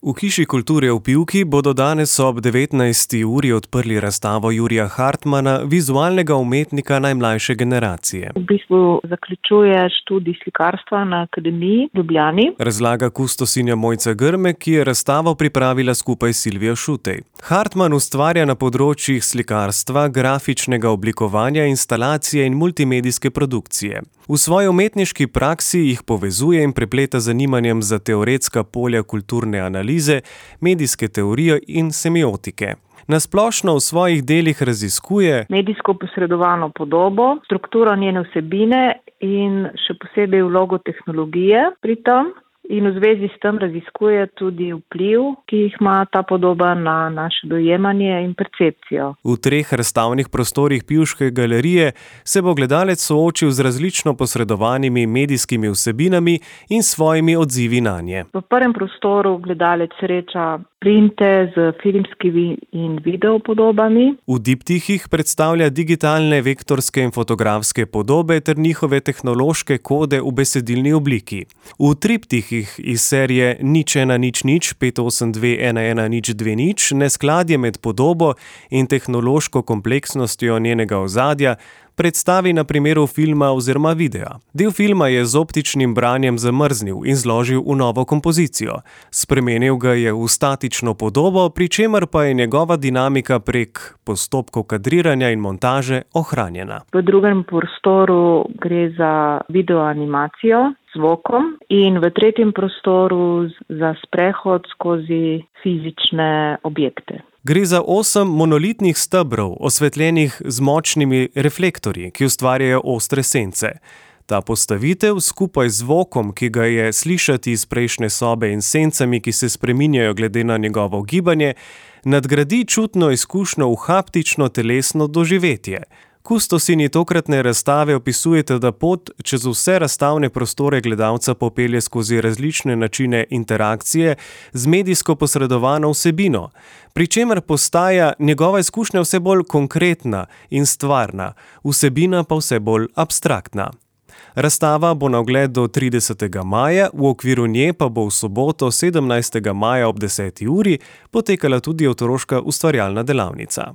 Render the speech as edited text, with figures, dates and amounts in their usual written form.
V Hiši kulture v Pivki bodo danes ob 19. uri odprli razstavo Jurija Hartmana, vizualnega umetnika najmlajše generacije. V bistvu zaključuje študij slikarstva na Akademiji v Ljubljani. Razlaga kustosinja Mojca Grme, ki je razstavo pripravila skupaj s Silvijo Šutej. Hartman ustvarja na področjih slikarstva, grafičnega oblikovanja, instalacije in multimedijske produkcije. V svoji umetniški praksi jih povezuje in prepleta z zanimanjem za teoretska polja kulturne analize, medijske teorije in semiotike. Na splošno v svojih delih raziskuje medijsko posredovano podobo, strukturo njene vsebine in še posebej vlogo tehnologije pri tem. In v zvezi s tem raziskuje tudi vpliv, ki jih ima ta podoba na naše dojemanje in percepcijo. V 3 razstavnih prostorih Pivške galerije se bo gledalec soočil z različno posredovanimi medijskimi vsebinami in svojimi odzivi nanje. V prvem prostoru gledalec sreča printe z filmskimi in video podobami. V diptihih predstavlja digitalne vektorske in fotografske podobe ter njihove tehnološke kode v besedilni obliki. V triptihih iz serije 01000 582 11020 neskladje med podobo in tehnološko kompleksnostjo njenega ozadja predstavi na primeru filma oziroma videa. Del filma je z optičnim branjem zamrznil in zložil v novo kompozicijo. Spremenil ga je v statično podobo, pri čemer pa je njegova dinamika prek postopkov kadriranja in montaže ohranjena. V drugem prostoru gre za videoanimacijo z zvokom in v tretjem prostoru za sprehod skozi fizične objekte. Gre za 8 monolitnih stebrov, osvetljenih z močnimi reflektorji, ki ustvarjajo ostre sence. Ta postavitev skupaj z zvokom, ki ga je slišati iz prejšnje sobe in sencami, ki se spreminjajo glede na njegovo gibanje, nadgradi čutno izkušnjo v haptično telesno doživetje. Kustosinji tokratne razstave opisujete, da pot čez vse razstavne prostore gledalca popelje skozi različne načine interakcije z medijsko posredovano vsebino, pri čemer postaja njegova izkušnja vse bolj konkretna in stvarna, vsebina pa vse bolj abstraktna. Razstava bo na ogled do 30. maja, v okviru nje pa bo v soboto 17. maja ob 10. uri potekala tudi otroška ustvarjalna delavnica.